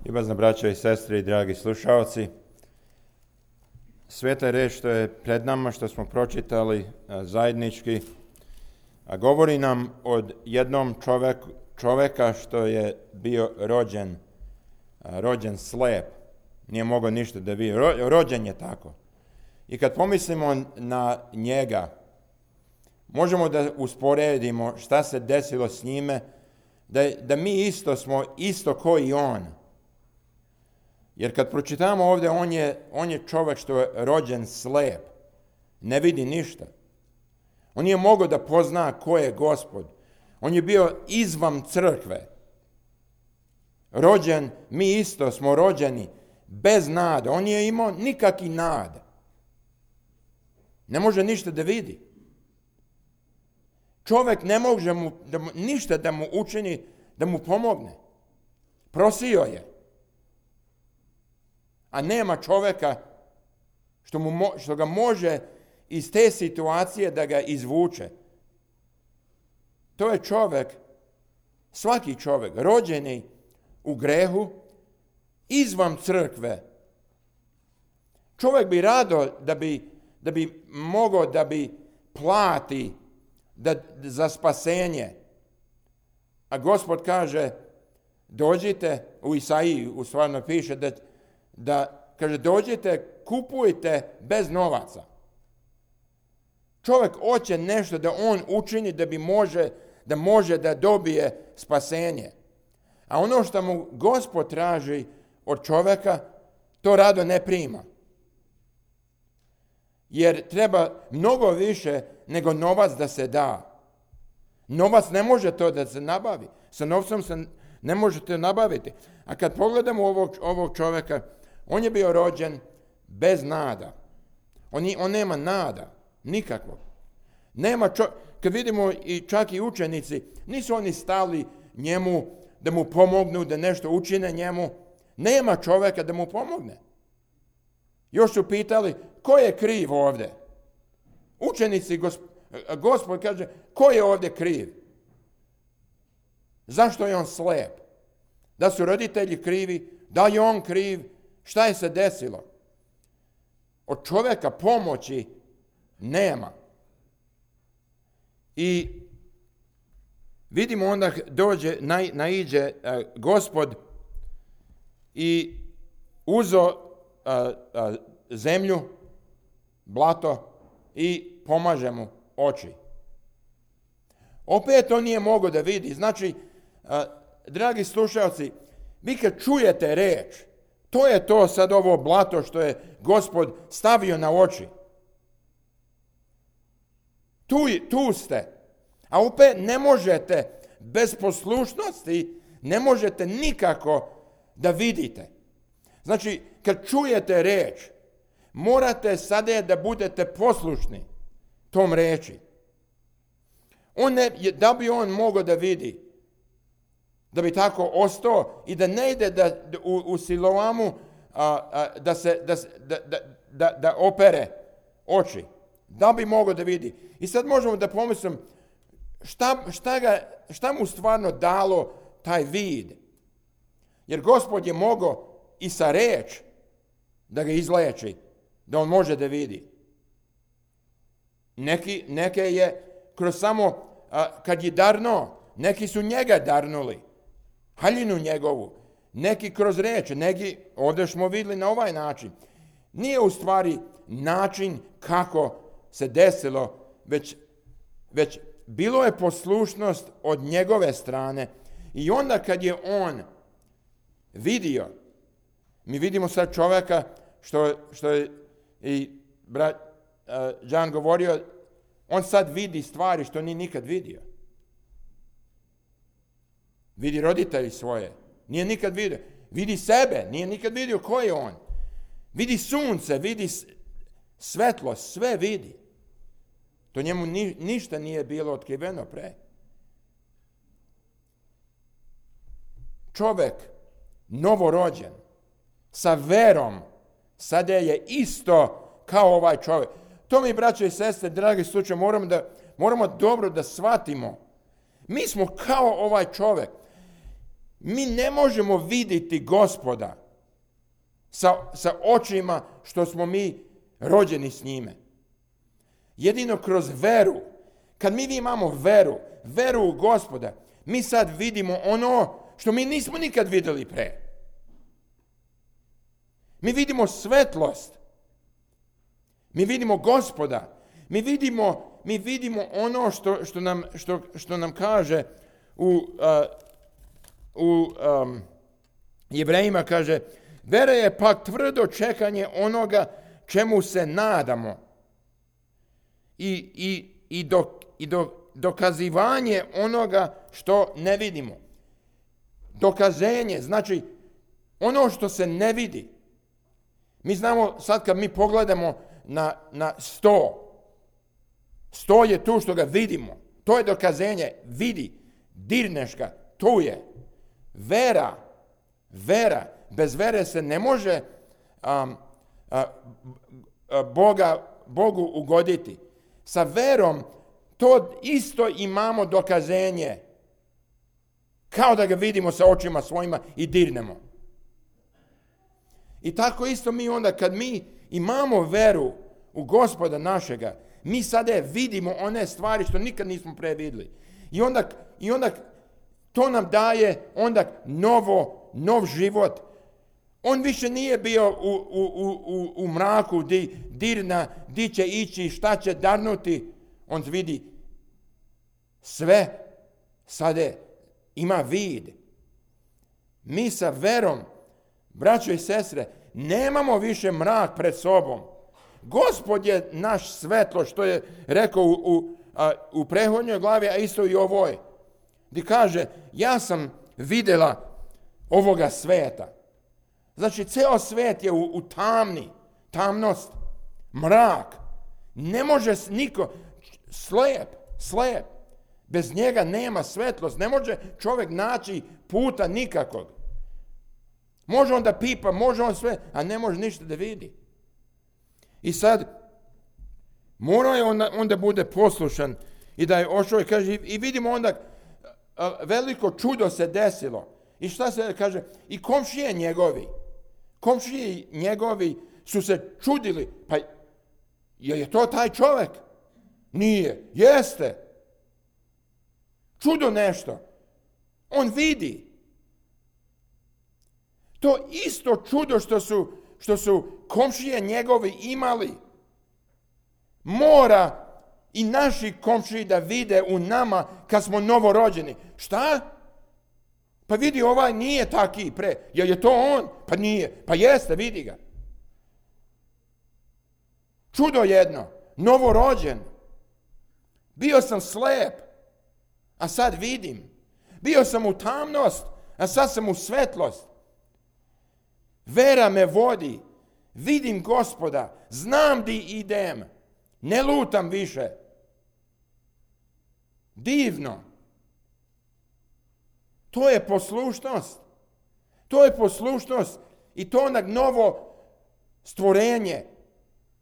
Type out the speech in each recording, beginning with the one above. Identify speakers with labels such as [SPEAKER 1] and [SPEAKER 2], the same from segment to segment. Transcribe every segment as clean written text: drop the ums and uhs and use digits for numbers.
[SPEAKER 1] Ljubazna braćo i sestre i dragi slušalci, sveta reč što je pred nama, što smo pročitali zajednički, govori nam od jednom čoveka što je bio rođen slep, nije mogao ništa da vidi, rođen je tako. I kad pomislimo na njega, možemo da usporedimo šta se desilo s njime, da mi isto smo isto ko i on. Jer kad pročitamo ovdje, on je čovjek što je rođen slep, ne vidi ništa. On nije mogao da pozna ko je Gospod. On je bio izvan crkve. Rođen, mi isto smo rođeni bez nade. On nije imao nikakvi nade. Ne može ništa da vidi. Čovjek ne može ništa da mu učini, da mu pomogne. Prosio je. A nema čovjeka što ga može iz te situacije da ga izvuče. To je čovjek, svaki čovjek, rođeni u grehu, izvan crkve. Čovjek bi rado da bi mogao da bi plati za spasenje. A Gospod kaže, dođite, u Isaiji u stvarno piše da kaže, dođite, kupujte bez novaca. Čovjek hoće nešto da on učini da može da dobije spasenje. A ono što mu Gospod traži od čovjeka, to rado ne prima. Jer treba mnogo više nego novac da se da. Novac ne može to da se nabavi. Sa novcem se ne možete nabaviti. A kad pogledamo ovog čovjeka, on je bio rođen bez nada. On nema nada, nikakvog. Kad vidimo čak i učenici, nisu oni stali njemu da mu pomognu, da nešto učine njemu. Nema čovjeka da mu pomogne. Još su pitali, ko je kriv ovdje? Učenici, Gospod kaže, ko je ovdje kriv? Zašto je on slep? Da su roditelji krivi? Da je on kriv? Šta je se desilo? Od čovjeka pomoći nema. I vidimo onda naiđe Gospod i uzo zemlju, blato i pomaže mu oči. Opet on nije mogao da vidi. Znači, dragi slušalci, vi kad čujete reč, to je to sad ovo blato što je Gospod stavio na oči. Tu ste. A opet ne možete bez poslušnosti, ne možete nikako da vidite. Znači, kad čujete reč, morate sada da budete poslušni tom reči. Da bi on mogao da vidi, da bi tako ostao i da ne ide u Siloamu da opere oči. Da bi mogao da vidi. I sad možemo da pomislim šta mu stvarno dalo taj vid. Jer Gospod je mogao i sa reč da ga izleči, da on može da vidi. Neke je kroz samo kad je darno, neki su njega darnuli, haljinu njegovu, neki kroz reč, neki ovdje smo vidjeli na ovaj način. Nije u stvari način kako se desilo, već bilo je poslušnost od njegove strane i onda kad je on vidio, mi vidimo sad čovjeka što je i brat Đan govorio, on sad vidi stvari što nije nikad vidio. Vidi roditelji svoje, nije nikad vidio. Vidi sebe, nije nikad vidio ko je on. Vidi sunce, vidi svetlost, sve vidi. To njemu ništa nije bilo otkriveno pre. Čovjek, novorođen, sa verom, sada je isto kao ovaj čovjek. To mi, braće i sestre, dragi slučaj, moramo dobro da shvatimo. Mi smo kao ovaj čovjek. Mi ne možemo vidjeti Gospoda sa očima što smo mi rođeni s njime. Jedino kroz veru. Kad mi imamo veru u Gospoda, mi sad vidimo ono što mi nismo nikad vidjeli pre. Mi vidimo svetlost. Mi vidimo Gospoda. Mi vidimo ono što nam kaže u Jevrejima, kaže, vera je pak tvrdo čekanje onoga čemu se nadamo i dokazivanje onoga što ne vidimo. Dokazenje, znači ono što se ne vidi. Mi znamo sad kad mi pogledamo na sto je tu što ga vidimo. To je dokazenje. Vidi, dirneš ga, tu je. Vera. Bez vere se ne može Bogu ugoditi. Sa verom to isto imamo dokazenje. Kao da ga vidimo sa očima svojima i dirnemo. I tako isto mi onda kad mi imamo veru u Gospoda našega, mi sada vidimo one stvari što nikad nismo pre vidjeli. I onda to nam daje onda nov život. On više nije bio u mraku di će ići, šta će darnuti. On vidi sve, sada ima vid. Mi sa verom, braćo i sestre, nemamo više mrak pred sobom. Gospod je naš svetlo, što je rekao u prethodnjoj glavi, a isto i ovoj. Gdje kaže, ja sam vidjela ovoga sveta. Znači, ceo svet je u tamnost, mrak. Ne može niko, slijep. Bez njega nema svetlost. Ne može čovjek naći puta nikakvog. Može on da pipa, može on sve, a ne može ništa da vidi. I sad, mora je onda bude poslušan i da je ošao i kaže, i vidimo onda veliko čudo se desilo. I šta se kaže? I komšije njegovi su se čudili. Pa je to taj čovjek? Nije. Jeste. Čudo nešto. On vidi. To isto čudo što su komšije njegovi imali. Mora i naši komšiji da vide u nama kad smo novorođeni. Šta? Pa vidi, ovaj nije taki pre. Je to on? Pa nije. Pa jeste, vidi ga. Čudo jedno. Novorođen. Bio sam slep, a sad vidim. Bio sam u tamnost, a sad sam u svetlost. Vera me vodi. Vidim Gospoda. Znam di idem. Ne lutam više. Divno. To je poslušnost. I to onak novo stvorenje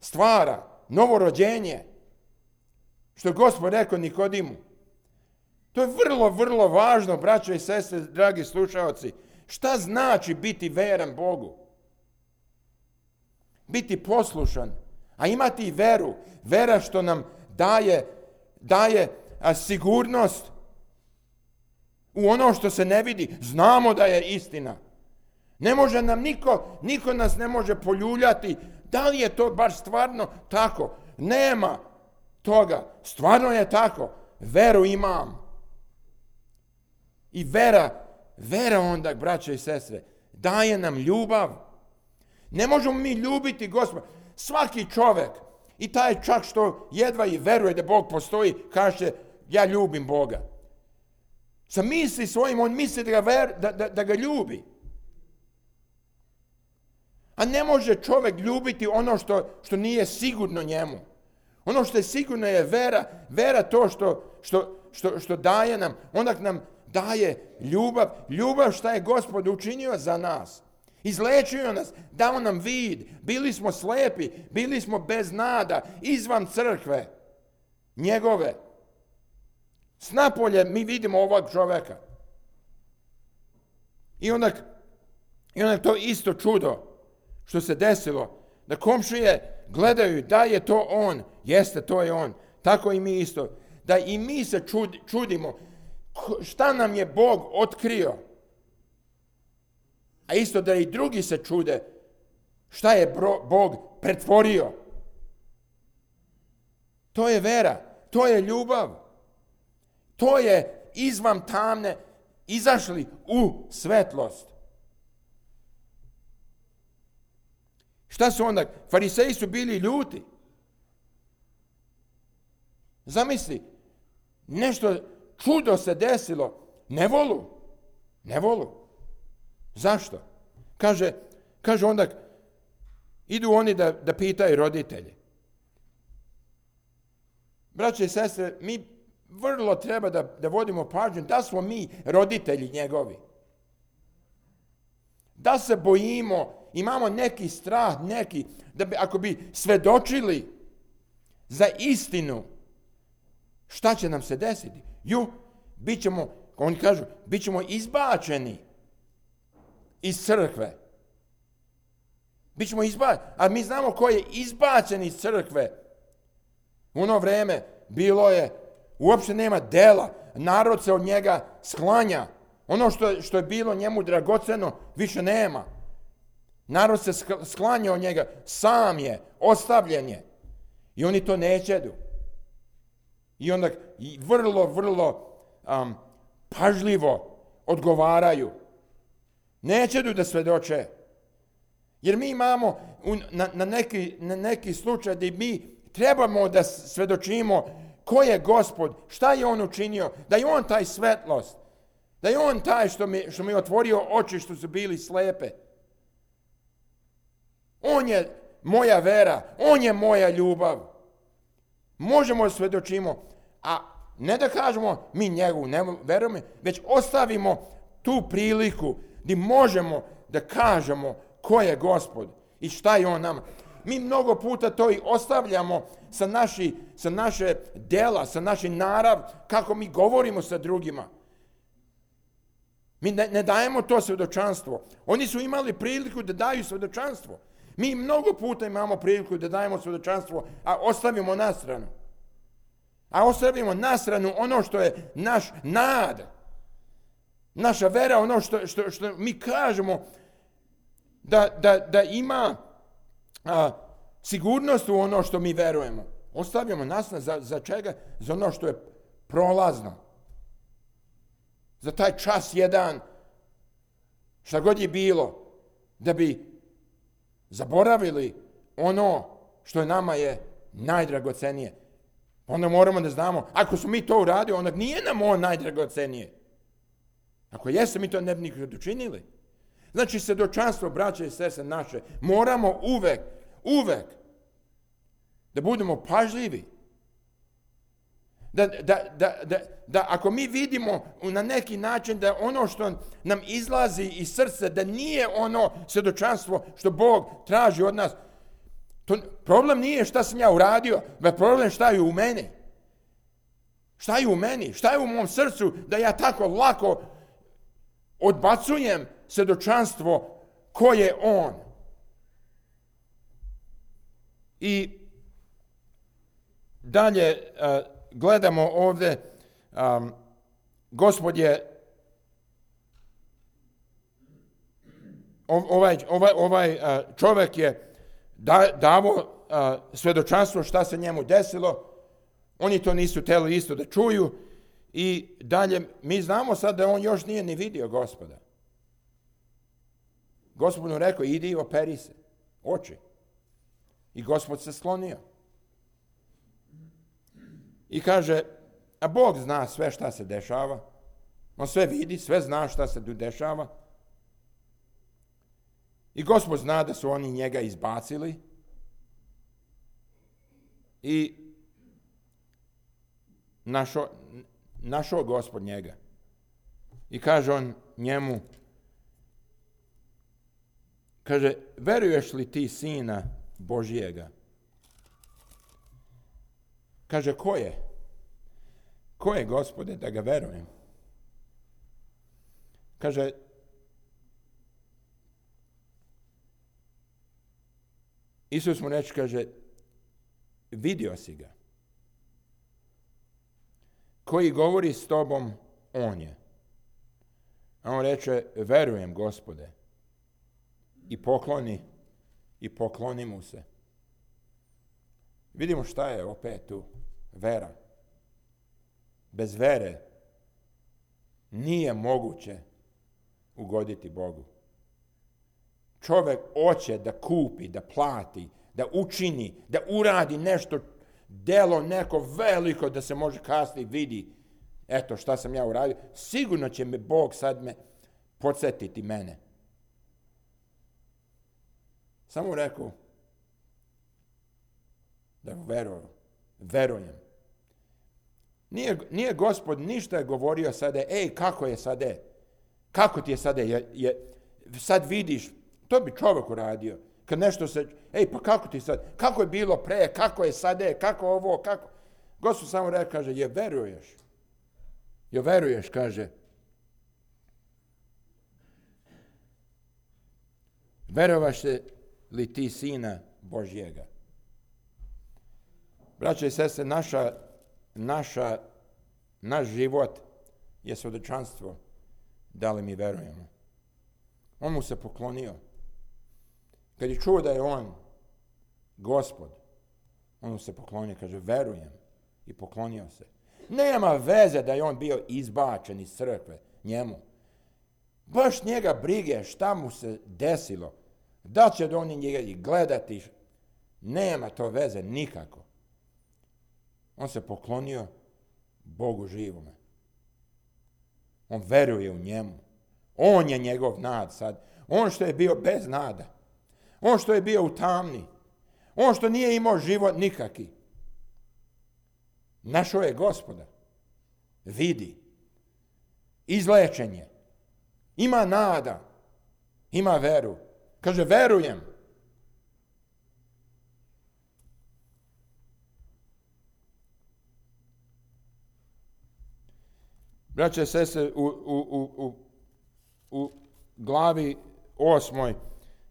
[SPEAKER 1] stvara. Novo rođenje. Što je Gospod rekao Nikodimu. To je vrlo, vrlo važno, braćo i sestre, dragi slušalci. Šta znači biti veran Bogu? Biti poslušan, a imati veru. Vera što nam daje sigurnost u ono što se ne vidi. Znamo da je istina. Ne može nam niko nas ne može poljuljati. Da li je to baš stvarno tako? Nema toga. Stvarno je tako. Veru imam. I vera onda, braće i sestre, daje nam ljubav. Ne možemo mi ljubiti Gospoda. Svaki čovjek, i taj čak što jedva i veruje da Bog postoji, kaže, ja ljubim Boga. Sa misli svojim, on misli da ga ljubi. A ne može čovjek ljubiti ono što nije sigurno njemu. Ono što je sigurno je vera. Vera to što daje nam. Onda nam daje ljubav. Ljubav šta je Gospod učinio za nas. Izlečio nas, dao nam vid. Bili smo slepi, bili smo bez nada, izvan crkve njegove. S napolje mi vidimo ovog čovjeka. I onda to isto čudo što se desilo, da komšije gledaju da je to on, jeste, to je on. Tako i mi isto. Da i mi se čudimo šta nam je Bog otkrio. A isto da i drugi se čude šta je Bog pretvorio. To je vera, to je ljubav. To je izvan tamne izašli u svetlost. Šta su onda? Fariseji su bili ljuti. Zamisli, nešto čudo se desilo. Ne volu. Zašto? Kaže onda, idu oni da pitaju roditelje. Braće i sestre, mi vrlo treba da vodimo pažnju da smo mi roditelji njegovi. Da se bojimo, imamo neki strah, da ako bi svedočili za istinu, šta će nam se desiti? Oni kažu, bit ćemo izbačeni iz crkve. Bićemo izbačeni, a mi znamo ko je izbačen iz crkve. U ono vreme bilo je, uopće nema dela, narod se od njega sklanja. Ono što je bilo njemu dragoceno, više nema. Narod se sklanja od njega, sam je, ostavljen je. I oni to nećedu. I onda vrlo pažljivo odgovaraju. Nećedu da svedoče. Jer mi imamo na neki slučaj da mi trebamo da svedočimo ko je Gospod, šta je on učinio, da je on taj svetlost, da je on taj što mi je otvorio oči što su bili slepe. On je moja vera, on je moja ljubav. Možemo da svedočimo, a ne da kažemo mi njegu ne verujemo, već ostavimo tu priliku gdje možemo da kažemo ko je Gospod i šta je on nama. Mi mnogo puta to i ostavljamo sa naše dela, sa naši narav, kako mi govorimo sa drugima. Mi ne dajemo to svjedočanstvo. Oni su imali priliku da daju svjedočanstvo. Mi mnogo puta imamo priliku da dajemo svjedočanstvo, a ostavimo nastranu. A ostavimo nastranu ono što je naš nada. Naša vera, ono što mi kažemo da ima sigurnost u ono što mi verujemo. Ostavljamo nastranu za čega? Za ono što je prolazno. Za taj čas jedan, šta god je bilo, da bi zaboravili ono što je nama je najdragocenije. Onda moramo da znamo, ako smo mi to uradili, onda nije nam on najdragocenije. Ako jeste, mi to ne bi nikad učinili. Znači, svjedočanstvo, braće i sestre naše, moramo uvek da budemo pažljivi. Da ako mi vidimo na neki način da ono što nam izlazi iz srca, da nije ono svjedočanstvo što Bog traži od nas, problem nije šta sam ja uradio, već problem šta je u meni. Šta je u meni? Šta je u mom srcu da ja tako lako odbacujem svjedočanstvo ko je on. I dalje gledamo ovdje, Gospod je ovaj čovjek je davo svjedočanstvo šta se njemu desilo. Oni to nisu htjeli isto da čuju. I dalje, mi znamo sad da on još nije ni vidio Gospoda. Gospod mu rekao, idi i operi se, oči. I Gospod se sklonio. I kaže, a Bog zna sve šta se dešava. On sve vidi, sve zna šta se dešava. I Gospod zna da su oni njega izbacili. I našao Gospod njega. I kaže on njemu, kaže, veruješ li ti Sina Božijega? Kaže, ko je? Ko je, Gospode, da ga verujem? Kaže, Isus mu reče, kaže, vidio si ga. Koji govori s tobom, on je. A on reče, verujem, Gospode. I pokloni mu se. Vidimo šta je opet tu vera. Bez vere nije moguće ugoditi Bogu. Čovjek hoće da kupi, da plati, da učini, da uradi nešto, delo neko veliko da se može kasnije vidi. Eto šta sam ja uradio. Sigurno će me Bog sad podsjetiti mene. Samo rekao da verujem. Nije Gospod ništa govorio sada, kako je sada? Kako ti je sada? Sad vidiš, to bi čovjek uradio. Kad nešto se, pa kako ti sad? Kako je bilo pre? Kako je sada? Kako ovo? Kako? Gospod samo rekao, kaže, veruješ, kaže. Verovaše li ti Sina Božjega? Braće i sestre, naš život je svjedočanstvo da li mi verujemo. On mu se poklonio. Kad je čuo da je on Gospod, on mu se poklonio, kaže, verujem, i poklonio se. Nema veze da je on bio izbačen iz crkve njemu. Baš njega brige šta mu se desilo. Da će oni njega gledati. Nema to veze nikako. On se poklonio Bogu živome. On veruje u njemu. On je njegov nad sad. On što je bio bez nada. On što je bio u tamni. On što nije imao život nikaki. Našao je Gospoda. Vidi. Izlečen je. Ima nada. Ima veru. Kaže, verujem. Braće i sestre, u glavi 8.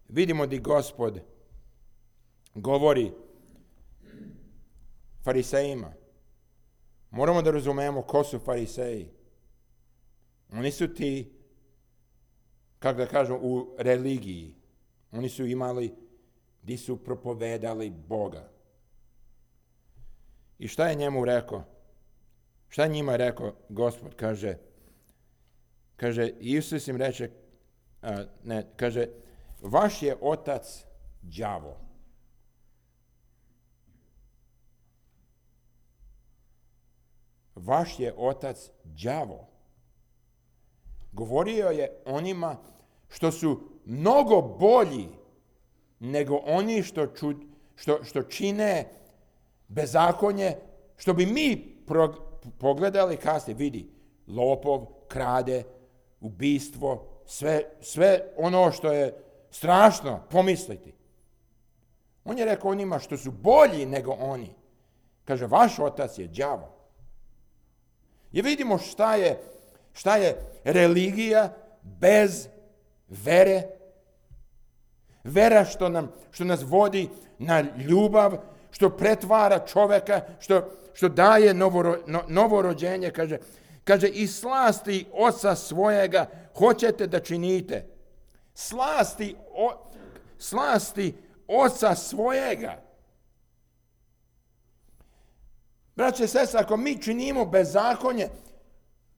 [SPEAKER 1] vidimo da Gospod govori farisejima. Moramo da razumemo ko su fariseji. Oni su ti, kako da kažem, u religiji. Oni su imali, gdje su propovedali Boga. I šta je njemu rekao? Šta je njima rekao Gospod? Kaže, Isus im reče, kaže, vaš je otac đavo. Vaš je otac đavo. Govorio je onima što su mnogo bolji nego oni što čine bezakonje, što bi mi pogledali kasnije, vidi, lopov, krade, ubistvo, sve ono što je strašno pomisliti. On je rekao onima što su bolji nego oni. Kaže, vaš otac je đavo. I vidimo šta je religija bez vere. Vera što nas vodi na ljubav, što pretvara čovjeka, što daje novorođenje, kaže, i slasti oca svojega hoćete da činite. Slasti oca svojega. Braće i sestre, ako mi činimo bezakonje,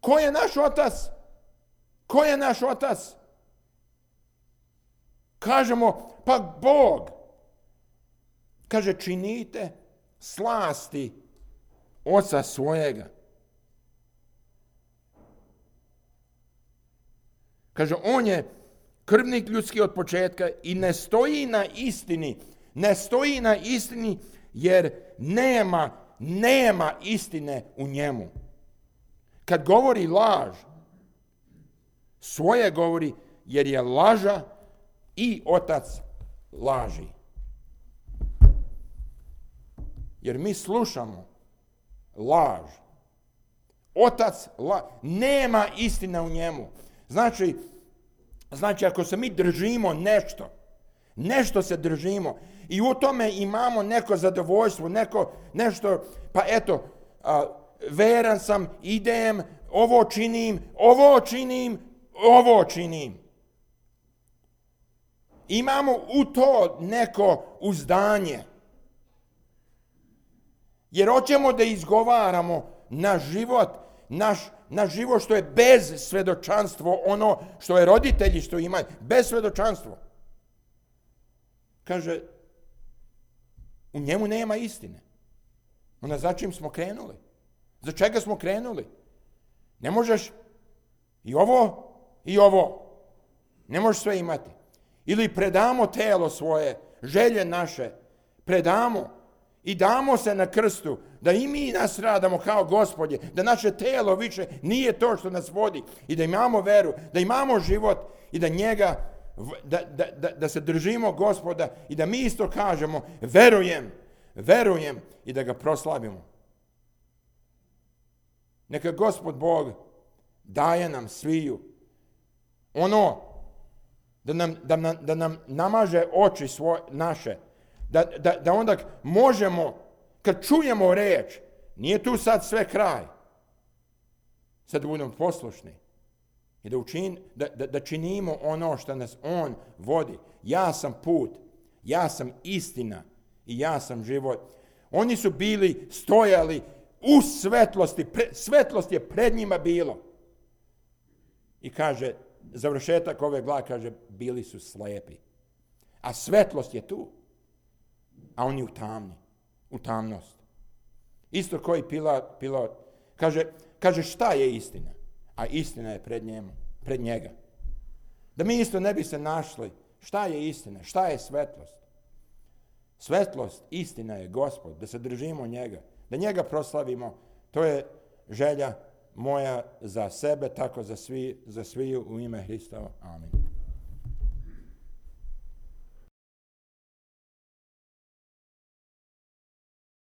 [SPEAKER 1] ko je naš otac? Ko je naš otac? Kažemo, pa Bog. Kaže, činite slasti oca svojega. Kaže, on je krvnik ljudski od početka i ne stoji na istini. Ne stoji na istini jer nema istine u njemu. Kad govori laž, svoje govori jer je laža i otac laži. Jer mi slušamo laž. Otac nema istine u njemu. Znači ako se mi držimo nešto, Nešto se držimo. I u tome imamo neko zadovoljstvo, nešto, pa eto, veran sam, idem, ovo činim. Imamo u to neko uzdanje. Jer hoćemo da izgovaramo naš život što je bez svedočanstvo, ono što je roditelji što imaju, bez svedočanstvo. Kaže, u njemu nema istine. Onda za čim smo krenuli? Za čega smo krenuli? Ne možeš i ovo. Ne možeš sve imati. Ili predamo telo svoje, želje naše, predamo i damo se na krstu, da i mi nas radamo kao Gospodje, da naše telo više nije to što nas vodi i da imamo veru, da imamo život i da njega, da se držimo Gospoda i da mi isto kažemo verujem i da ga proslavimo. Neka Gospod Bog daje nam sviju ono da nam namaže oči naše, da onda možemo, kad čujemo reč, nije tu sad sve kraj, sad da budemo poslušni i da činimo ono što nas on vodi. Ja sam put, ja sam istina i ja sam život. Oni su stojali u svetlosti, svetlost je pred njima bilo. I kaže, završetak ove glave kaže, bili su slepi. A svetlost je tu. A oni u tamnost. Isto koji Pilat kaže šta je istina? A istina je pred njega. Da mi isto ne bi se našli. Šta je istina? Šta je svetlost? Svetlost, istina je Gospod, da se držimo njega, da njega proslavimo. To je želja moja za sebe, tako za sviju u ime Hristova. Amin.